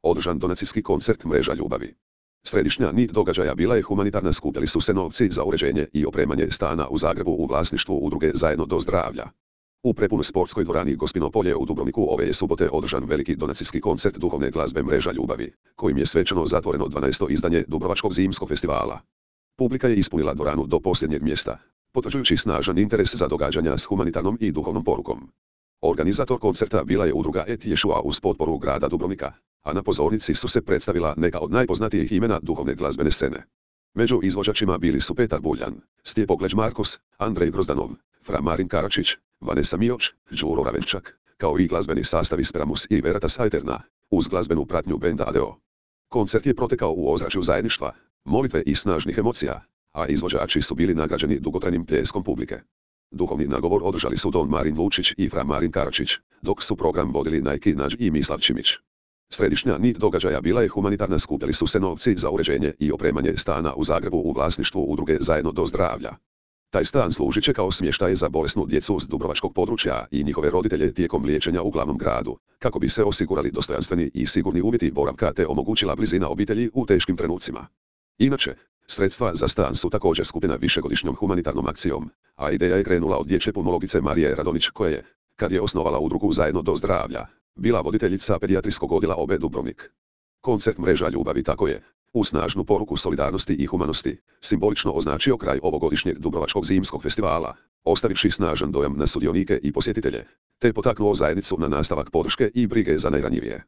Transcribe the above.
održan donacijski koncert Mreža ljubavi. Središnja nit događaja bila je humanitarna, skupljali su se novci za uređenje i opremanje stana u Zagrebu u vlasništvu udruge Zajedno do zdravlja. U prepunoj sportskoj dvorani Gospino polje u Dubrovniku ove je subote održan veliki donacijski koncert duhovne glazbe Mreža ljubavi, kojim je svečano zatvoreno 12. izdanje Dubrovačkog zimskog festivala. Publika je ispunila dvoranu do posljednjeg mjesta, potvrđujući snažan interes za događanja s humanitarnom i duhovnom porukom. Organizator koncerta bila je udruga Et Ješua uz potporu grada Dubrovnika, a na pozornici su se predstavila neka od najpoznatijih imena duhovne glazbene scene. Među izvođačima bili su Petar Buljan, Stjepo Kleđ Markos, Andrej Grozdanov, Fra Marin Karačić, Vanessa Mioč, Đuro Ravenčak, kao i glazbeni sastav iz Pramus i Veritas Aeterna, uz glazbenu pratnju benda Adeo. Koncert je protekao u ozračju zajedništva, molitve i snažnih emocija, a izvođači su bili nagrađeni dugotrajnim pljeskom publike. Duhovni nagovor održali su Don Marin Lučić i Fra Marin Karačić, dok su program vodili Najki Nađ i Mislav Čimić. Središnja nit događaja bila je humanitarna, skupljali su se novci za uređenje i opremanje stana u Zagrebu u vlasništvu udruge Zajedno do zdravlja. Taj stan služit će kao smještaj za bolesnu djecu s dubrovačkog područja i njihove roditelje tijekom liječenja u glavnom gradu, kako bi se osigurali dostojanstveni i sigurni uvjeti boravka te omogućila blizina obitelji u teškim trenucima. Inače, sredstva za stan su također skupljena višegodišnjom humanitarnom akcijom, a ideja je krenula od dječje pulmologice Marije Radonić koja je, kad je osnovala udrugu Zajedno do zdravlja, bila voditeljica pedijatrijskog odjela OB Dubrovnik. Koncert Mreža ljubavi tako je, u snažnu poruku solidarnosti i humanosti, simbolično označio kraj ovogodišnjeg Dubrovačkog zimskog festivala, ostavivši snažan dojam na sudionike i posjetitelje, te potaknuo zajednicu na nastavak podrške i brige za najranjivije.